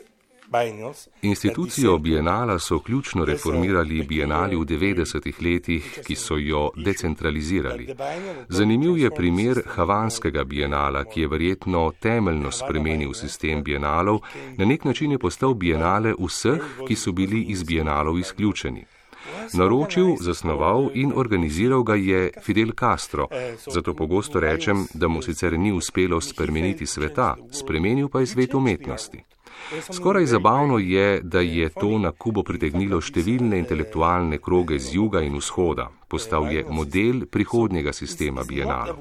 [SPEAKER 22] Institucijo bienala so ključno reformirali bienali v devetdesetih letih, ki so jo decentralizirali. Zanimiv je primer havanskega bienala, ki je verjetno temeljno spremenil sistem bienalov, na nek način je postal bienale vseh, ki so bili iz bienalov izključeni. Naročil, zasnoval in organiziral ga je Fidel Castro, zato pogosto rečem, da mu sicer ni uspelo spremeniti sveta, spremenil pa je svet umetnosti. Skoraj zabavno je, da je to na Kubo pritegnilo številne intelektualne kroge z juga in vzhoda. Postal je model prihodnjega sistema bienalov.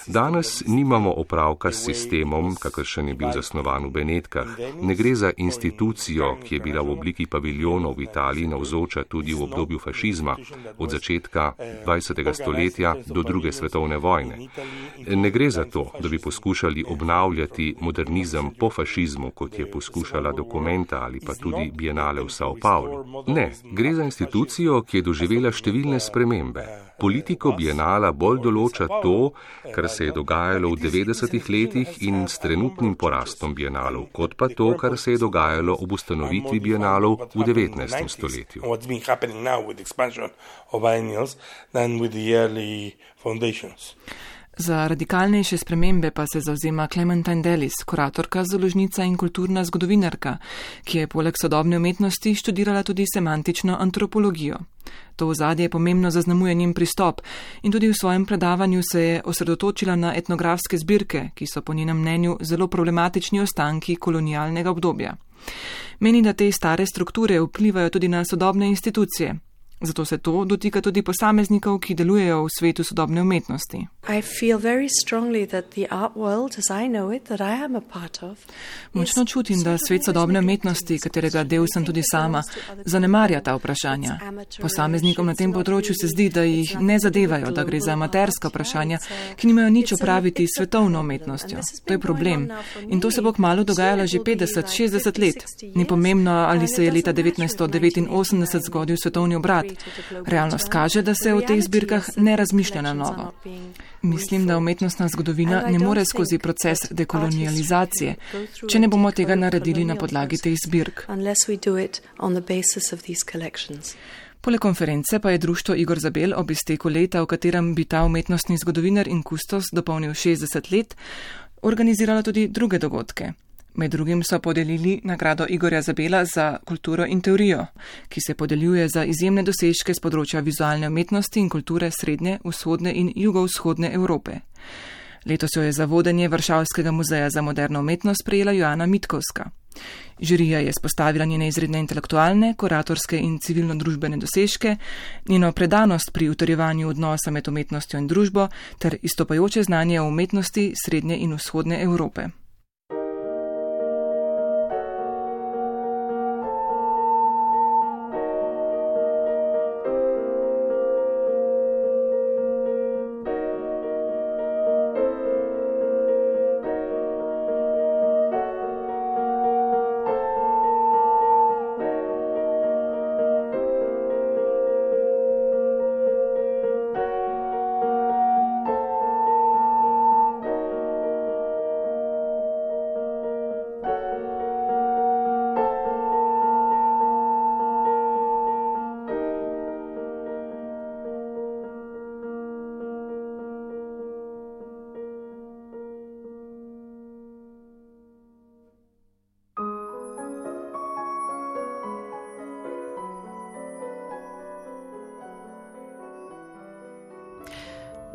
[SPEAKER 22] Danes nimamo opravka s sistemom, kakršen je bil zasnovan v Benetkah. Ne gre za institucijo, ki je bila v obliki paviljonov v Italiji navzoča tudi v obdobju fašizma, od začetka dvajsetega stoletja do druge svetovne vojne. Ne gre za to, da bi poskušali obnavljati modernizem po fašizmu, kot je poskušala Documenta ali pa tudi bienale v São Paulo. Ne, gre za institucijo, ki je doživela številne spremembe. Politiko bienala bolj določa to, kar se je dogajalo v devetdesetih letih in s trenutnim porastom bienalov, kot pa to, kar se je dogajalo ob ustanovitvi bienalov v devetnajstem stoletju.
[SPEAKER 19] Za radikalnejše spremembe pa se zavzema Clementine Dellis, kuratorka, založnica in kulturna zgodovinarka, ki je poleg sodobne umetnosti študirala tudi semantično antropologijo. To ozadje pomembno zaznamuje njen pristop in tudi v svojem predavanju se je osredotočila na etnografske zbirke, ki so po njenem mnenju zelo problematični ostanki kolonialnega obdobja. Meni, da te stare strukture vplivajo tudi na sodobne institucije. Zato se to dotika tudi posameznikov, ki delujejo v svetu sodobne umetnosti. Močno čutim, da svet sodobne umetnosti, katerega del sem tudi sama, zanemarja ta vprašanja. Posameznikom na tem področju se zdi, da jih ne zadevajo, da gre za amaterska vprašanja, ki nimajo nič opraviti s svetovno umetnostjo. To je problem. In to se bo kmalu dogajalo že petdeset, šestdeset let. Ni pomembno, ali se je leta devetnajststo devetinosemdeset zgodil svetovni obrat. Realnost kaže, da se v teh zbirkah ne razmišlja na novo. Mislim, da umetnostna zgodovina ne more skozi proces dekolonializacije, če ne bomo tega naredili na podlagi teh zbirk. Poleg konference pa je društvo Igor Zabel ob izteku leta, v katerem bi ta umetnostni zgodovinar in kustos dopolnil šestdeset let, organiziralo tudi druge dogodke. Med drugim so podelili nagrado Igorja Zabela za kulturo in teorijo, ki se podeljuje za izjemne dosežke z področja vizualne umetnosti in kulture srednje, vzhodne in jugovzhodne Evrope. Letos jo je za vodenje Varšavskega muzeja za moderno umetnost prejela Joana Mitkovska. Žirija je spostavila njene izredne intelektualne, kuratorske in civilno-družbene dosežke, njeno predanost pri utrjevanju odnosa med umetnostjo in družbo ter izstopajoče znanje o umetnosti srednje in vzhodne Evrope.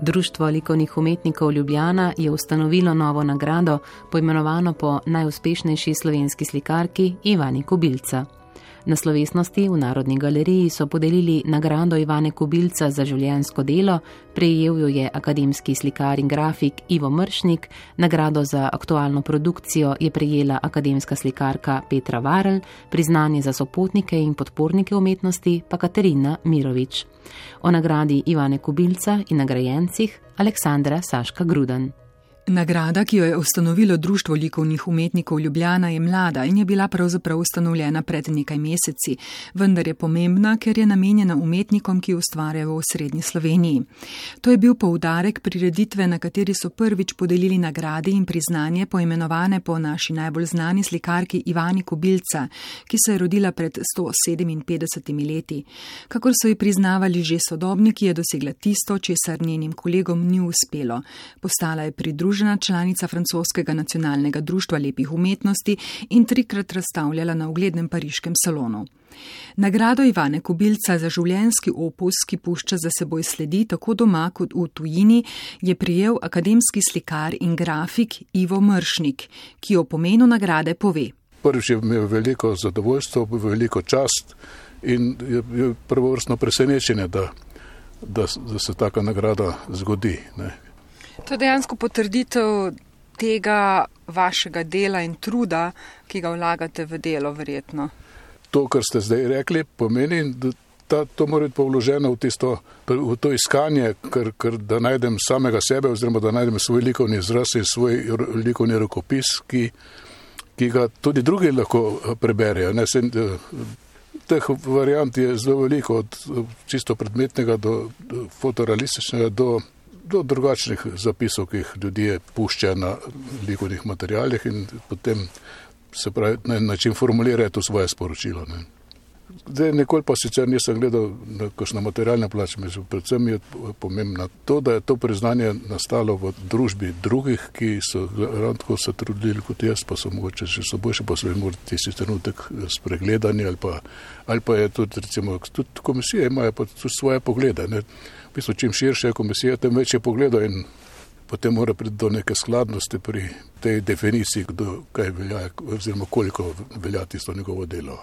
[SPEAKER 2] Društvo likovnih umetnikov Ljubljana je ustanovilo novo nagrado, poimenovano po najuspešnejši slovenski slikarki Ivani Kobilca. Na slovesnosti v Narodni galeriji so podelili nagrado Ivane Kobilca za življenjsko delo, prejel jo je akademski slikar in grafik Ivo Mršnik, nagrado za aktualno produkcijo je prejela akademska slikarka Petra Varl, priznanje za sopotnike in podpornike umetnosti pa Katarina Mirović. O nagradi Ivane Kobilca in nagrajencih Aleksandra Saška Grudan.
[SPEAKER 1] Nagrada, ki jo je ustanovilo Društvo likovnih umetnikov Ljubljana, je mlada in je bila pravzaprav ustanovljena pred nekaj meseci, vendar je pomembna, ker je namenjena umetnikom, ki ustvarjajo v srednji Sloveniji. To je bil poudarek prireditve, na kateri so prvič podelili nagrade in priznanje poimenovane po naši najbolj znani slikarki Ivani Kobilca, ki se je rodila pred sto sedeminpetdesetimi leti. Kakor so ji priznavali že sodobniki, je dosegla tisto, česar njenim kolegom ni uspelo. Postala je pridružena članica francoskega nacionalnega društva lepih umetnosti in trikrat razstavljala na uglednem pariškem salonu. Nagrado Ivane Kobilca za življenjski opus, ki pušča za seboj sledi tako doma kot v tujini, je prijel akademski slikar in grafik Ivo Mršnik, ki o pomenu nagrade pove.
[SPEAKER 4] Prvič je imel veliko zadovoljstvo, veliko čast in je prvovrstno presenečenje, da, da, da se taka nagrada zgodi, ne.
[SPEAKER 1] To je dejansko potrditev tega vašega dela in truda, ki ga vlagate v delo, verjetno.
[SPEAKER 4] To, kar ste zdaj rekli, pomeni, da ta, to mora biti povloženo v, tisto, v to iskanje, kar, kar, da najdem samega sebe, oziroma da najdem svoj likovni izraz in svoj likovni rokopis, ki, ki ga tudi drugi lahko preberejo. Ne, se, teh variant je zelo veliko, od čisto predmetnega do, do fotorealističnega do do drugačnih zapisov, ki jih ljudje puščajo na likovnih materialih in potem se pravi na način formulirajo to svoje sporočilo. Ne. Zdaj nekoli pa sicer nisem gledal na kakšno materialne plače, predvsem je pomembno to, da je to priznanje nastalo v družbi drugih, ki so ravno tako se trudili kot jaz, pa so mogoče še so boljše, pa so imeli tisti trenutek spregledani ali pa, ali pa je tudi recimo, tudi komisije imajo pa tudi svoje poglede, ne. V bistvu, čim širše je komisija, tem več je pogledov in potem mora priti do neke skladnosti pri tej definiciji, kdo kaj velja, oziroma koliko velja tisto njegovo delo.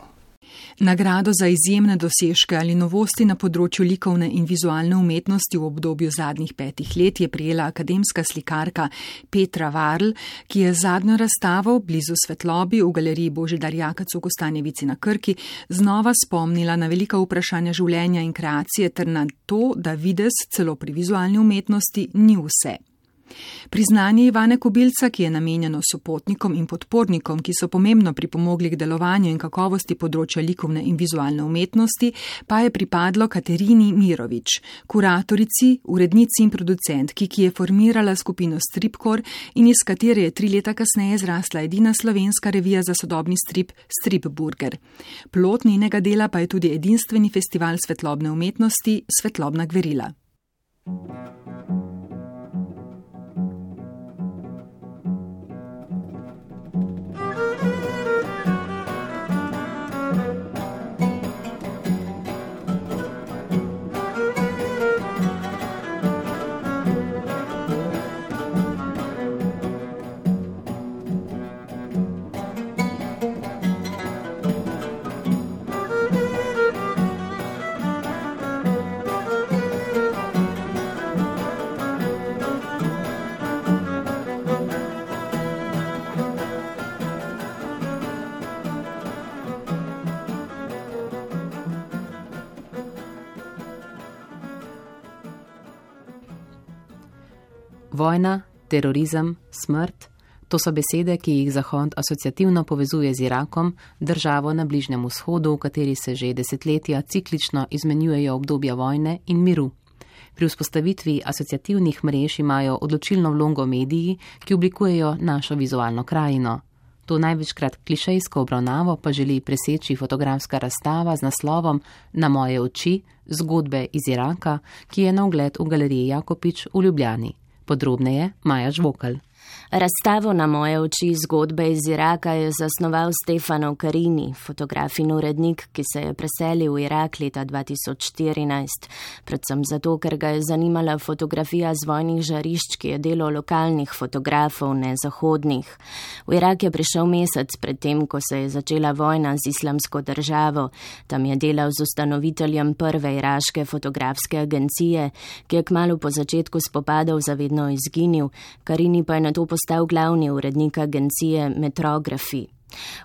[SPEAKER 1] Nagrado za izjemne dosežke ali novosti na področju likovne in vizualne umetnosti v obdobju zadnjih petih let je prijela akademska slikarka Petra Varl, ki je zadnjo razstavo blizu Svetlobi v galeriji Božidar Jakac v Kostanjevici na Krki znova spomnila na velika vprašanja življenja in kreacije ter na to, da videz celo pri vizualni umetnosti ni vse. Priznanje Ivane Kobilca, ki je namenjeno sopotnikom in podpornikom, ki so pomembno pripomogli k delovanju in kakovosti področja likovne in vizualne umetnosti, pa je pripadlo Katerini Mirović, kuratorici, urednici in producentki, ki je formirala skupino Stripkor in iz katere je tri leta kasneje zrasla edina slovenska revija za sodobni strip Stripburger. Plod njenega dela pa je tudi edinstveni festival svetlobne umetnosti Svetlobna gverila.
[SPEAKER 2] Vojna, terorizem, smrt, to so besede, ki jih Zahod asociativno povezuje z Irakom, državo na Bližnjem vzhodu, v kateri se že desetletja ciklično izmenjujejo obdobja vojne in miru. Pri vzpostavitvi asociativnih mrež imajo odločilno vlogo mediji, ki oblikujejo našo vizualno krajino. To največkrat klišejsko obravnavo pa želi preseči fotografska razstava z naslovom Na moje oči, zgodbe iz Iraka, ki je na ogled v galeriji Jakopič v Ljubljani. Podrobneje Maja Žvokal.
[SPEAKER 3] Razstavo Na moje oči zgodbe iz Iraka je zasnoval Stefano Carini, fotograf in urednik, ki se je preselil v Irak leta dva tisoč štirinajst, predvsem zato, ker ga je zanimala fotografija z vojnih žarišč, ki je delo lokalnih fotografov, ne zahodnih. V Irak je prišel mesec pred tem, ko se je začela vojna z Islamsko državo. Tam je delal z ustanoviteljem prve iraške fotografske agencije, ki je kmalu po začetku spopadov zavedno izginil, Carini pa je na to postal glavni urednik agencije Metrografi.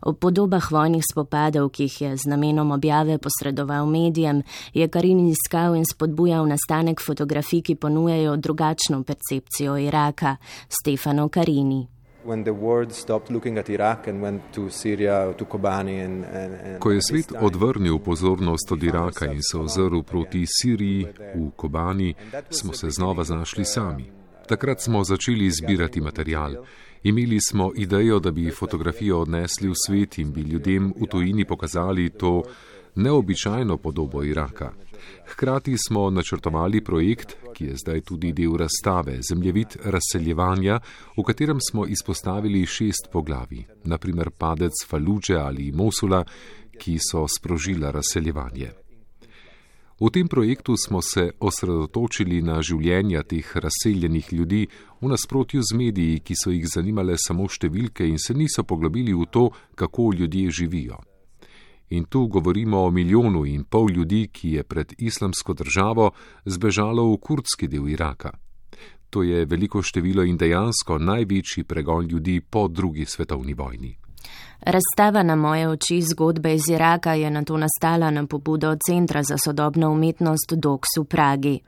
[SPEAKER 3] Ob podobah vojnih spopadov, ki jih je z namenom objave posredoval medijem, je Carini iskal in spodbujal nastanek fotografij, ki ponujajo drugačno percepcijo Iraka. Stefano Carini.
[SPEAKER 22] Ko je svet odvrnil pozornost od Iraka in se ozrl proti Siriji v Kobani, smo se znova znašli sami. Takrat smo začeli zbirati material. Imeli smo idejo, da bi fotografijo odnesli v svet in bi ljudem v tujini pokazali to neobičajno podobo Iraka. Hkrati smo načrtovali projekt, ki je zdaj tudi del razstave, zemljevid razseljevanja, v katerem smo izpostavili šest poglavij, naprimer padec Faludže ali Mosula, ki so sprožila razseljevanje. V tem projektu smo se osredotočili na življenja teh razseljenih ljudi v nasprotju z mediji, ki so jih zanimale samo številke in se niso poglobili v to, kako ljudje živijo. In tu govorimo o milijonu in pol ljudi, ki je pred Islamsko državo zbežalo v kurdski del Iraka. To je veliko število in dejansko največji pregon ljudi po drugi svetovni vojni.
[SPEAKER 3] Razstava Na moje oči zgodbe iz Iraka je nato nastala na pobudo Centra za sodobno umetnost Doks v Pragi.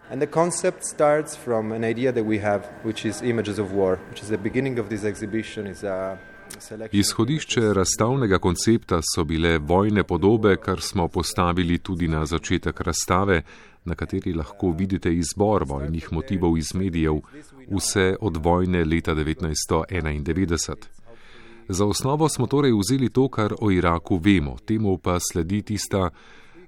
[SPEAKER 22] Izhodišče razstavnega koncepta so bile vojne podobe, kar smo postavili tudi na začetek razstave, na kateri lahko vidite izbor vojnih motivov iz medijev, vse od vojne leta devetnajststo enaindevetdeset. Za osnovo smo torej vzeli to, kar o Iraku vemo, temu pa sledi tista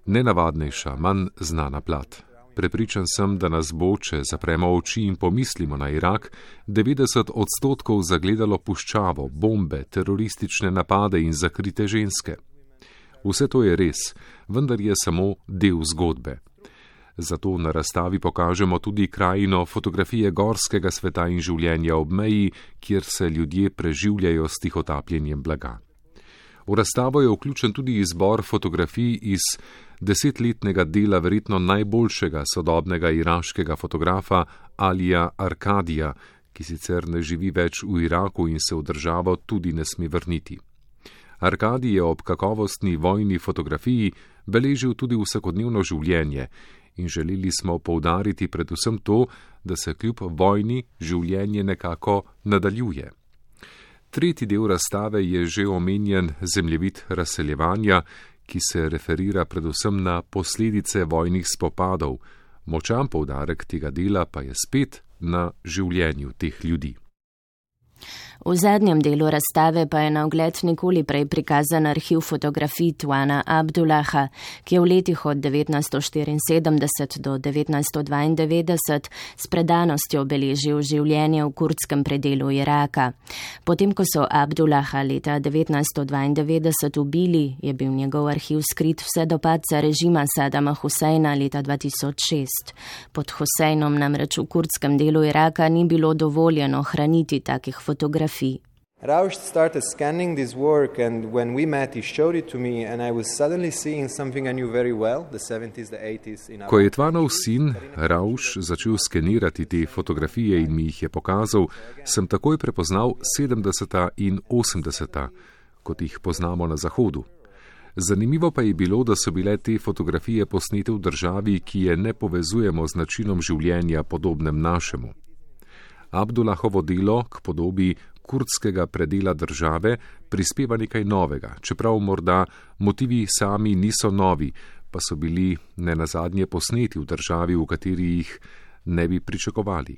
[SPEAKER 22] nenavadnejša, manj znana plat. Prepričan sem, da nas bo, če zapremo oči in pomislimo na Irak, devetdeset odstotkov zagledalo puščavo, bombe, teroristične napade in zakrite ženske. Vse to je res, vendar je samo del zgodbe. Zato na razstavi pokažemo tudi krajino fotografije gorskega sveta in življenja ob meji, kjer se ljudje preživljajo s tihotapljenjem blaga. V razstavo je vključen tudi izbor fotografij iz desetletnega dela verjetno najboljšega sodobnega iraškega fotografa Alija Arkadija, ki sicer ne živi več v Iraku in se v državo tudi ne sme vrniti. Arkadij je ob kakovostni vojni fotografiji beležil tudi vsakodnevno življenje in želeli smo poudariti predvsem to, da se kljub vojni življenje nekako nadaljuje. Tretji del razstave je že omenjen zemljevid razseljevanja, ki se referira predvsem na posledice vojnih spopadov. Močan poudarek tega dela pa je spet na življenju teh ljudi.
[SPEAKER 3] V zadnjem delu razstave pa je na ogled nikoli prej prikazan arhiv fotografij Tuana Abdullaha, ki je v letih od devetnajststo štiriinsedemdeset do devetnajststo dvaindevetdeset s predanostjo beležil življenje v kurdskem predelu Iraka. Potem, ko so Abdullaha leta devetnajststo dvaindevetdeset ubili, je bil njegov arhiv skrit vse do padca režima Sadama Huseina leta dva tisoč šest. Pod Huseinom namreč v kurdskem delu Iraka ni bilo dovoljeno hraniti takih fotografij.
[SPEAKER 6] Rausch started scanning this work, and when we met he showed it to me and I was suddenly seeing something I knew very well, the seventies, the eighties in
[SPEAKER 22] Ko je Tvanov sin Rausch začel skenirati te fotografije in mi jih je pokazal, sem takoj prepoznal sedemdeseta in osemdeseta, kot jih poznamo na Zahodu. Zanimivo pa je bilo, da so bile te fotografije posnete v državi, ki je ne povezujemo z načinom življenja podobnem našemu. Abdullahovo delo k podobi kurdskega predela države prispeva nekaj novega, čeprav morda motivi sami niso novi, pa so bili nenazadnje posneti v državi, v kateri jih ne bi pričakovali.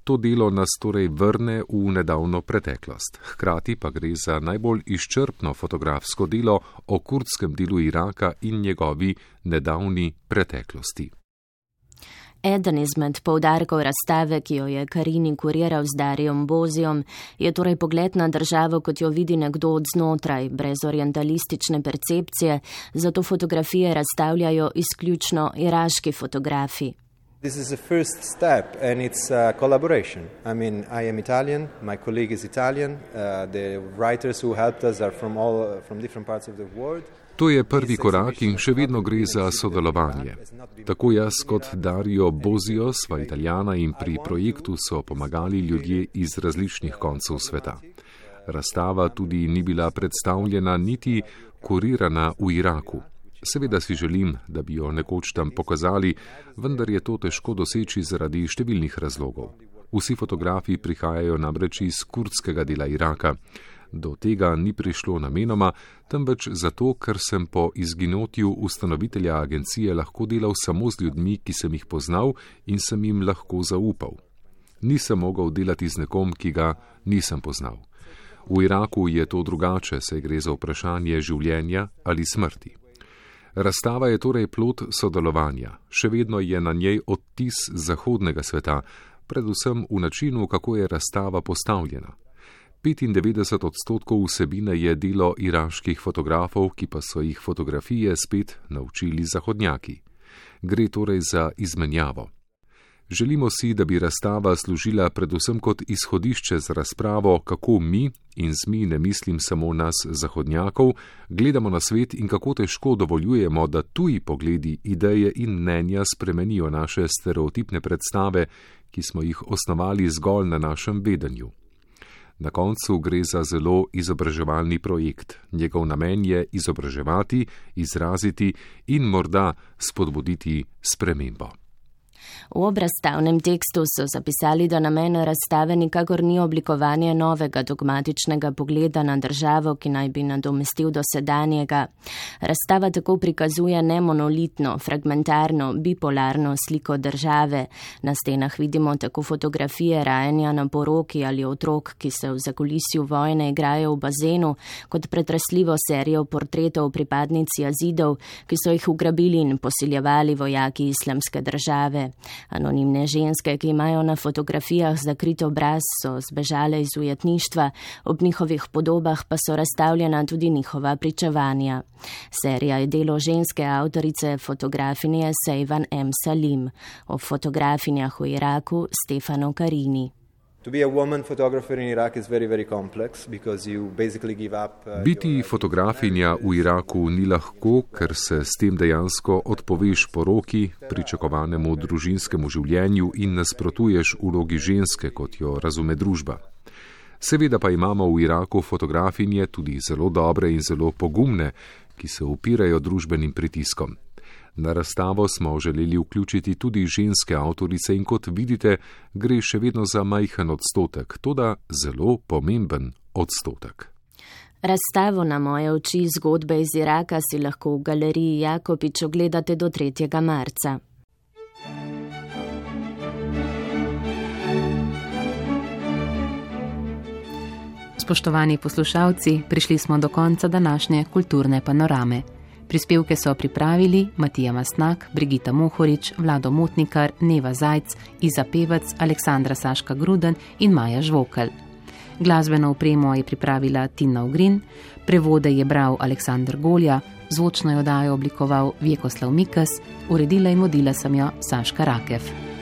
[SPEAKER 22] To delo nas torej vrne v nedavno preteklost. Hkrati pa gre za najbolj izčrpno fotografsko delo o kurdskem delu Iraka in njegovi nedavni preteklosti.
[SPEAKER 3] Eden izmed poudarkov razstave, ki jo je Carini kuriral z Dariom Bozijom, je torej pogled na državo, kot jo vidi nekdo od znotraj, brez orientalistične percepcije, zato fotografije razstavljajo izključno iraški fotografi.
[SPEAKER 6] This is the first step and it's a collaboration. I mean, I am Italian, my colleague is Italian, uh, the writers who helped us are from all from different parts of the world.
[SPEAKER 22] To je prvi korak in še vedno gre za sodelovanje. Tako jaz kot Dario Bozio sva Italijana in pri projektu so pomagali ljudje iz različnih koncev sveta. Razstava tudi ni bila predstavljena niti kurirana v Iraku. Seveda si želim, da bi jo nekoč tam pokazali, vendar je to težko doseči zaradi številnih razlogov. Vsi fotografi prihajajo namreč iz kurdskega dela Iraka. Do tega ni prišlo namenoma, temveč zato, ker sem po izginotju ustanovitelja agencije lahko delal samo z ljudmi, ki sem jih poznal in sem jim lahko zaupal. Nisem mogel delati z nekom, ki ga nisem poznal. V Iraku je to drugače, saj gre za vprašanje življenja ali smrti. Razstava je torej plod sodelovanja. Še vedno je na njej odtis zahodnega sveta, predvsem v načinu, kako je razstava postavljena. petindevetdeset odstotkov vsebine je delo iraških fotografov, ki pa so jih fotografije spet naučili zahodnjaki. Gre torej za izmenjavo. Želimo si, da bi razstava služila predvsem kot izhodišče za razpravo, kako mi, in z mi ne mislim samo nas zahodnjakov, gledamo na svet in kako težko dovoljujemo, da tuji pogledi, ideje in mnenja spremenijo naše stereotipne predstave, ki smo jih osnovali zgolj na našem vedenju. Na koncu gre za zelo izobraževalni projekt. Njegov namen je izobraževati, izraziti in morda spodbuditi spremembo.
[SPEAKER 3] V obrazstavnem tekstu so zapisali, da namen razstave nikakor ni oblikovanje novega dogmatičnega pogleda na državo, ki naj bi nadomestil dosedanjega. Razstava tako prikazuje nemonolitno, fragmentarno, bipolarno sliko države. Na stenah vidimo tako fotografije rajanja na poroki ali otrok, ki se v zakulisju vojne igrajo v bazenu, kot pretresljivo serijo portretov pripadnic jazidov, ki so jih ugrabili in posiljevali vojaki islamske države. Anonimne ženske, ki imajo na fotografijah zakrit obraz, so zbežale iz ujetništva, ob njihovih podobah pa so razstavljena tudi njihova pričevanja. Serija je delo ženske avtorice fotografinje Sejvan M. Salim, o fotografinjah v Iraku Stefano Carini.
[SPEAKER 22] Biti fotografinja v Iraku ni lahko, ker se s tem dejansko odpoveš poroki, pričakovanemu družinskemu življenju in nasprotuješ vlogi ženske, kot jo razume družba. Seveda pa imamo v Iraku fotografinje tudi zelo dobre in zelo pogumne, ki se upirajo družbenim pritiskom. Na razstavo smo želeli vključiti tudi ženske avtorice in kot vidite, gre še vedno za majhen odstotek, toda zelo pomemben odstotek.
[SPEAKER 3] Razstavo Na moje oči zgodbe iz Iraka si lahko v galeriji Jakopič ogledate do tretjega marca.
[SPEAKER 2] Spoštovani poslušalci, prišli smo do konca današnje kulturne panorame. Prispevke so pripravili Matija Mastnak, Brigita Mohorič, Vlado Motnikar, Neva Zajc, Iza Pevec, Aleksandra Saška Gruden in Maja Žvokelj. Glasbeno opremo je pripravila Tina Ogrin, prevode je bral Aleksandr Golja, zvočno jo dajo oblikoval Vjekoslav Mikas, uredila in vodila sem jo Saška Rakev.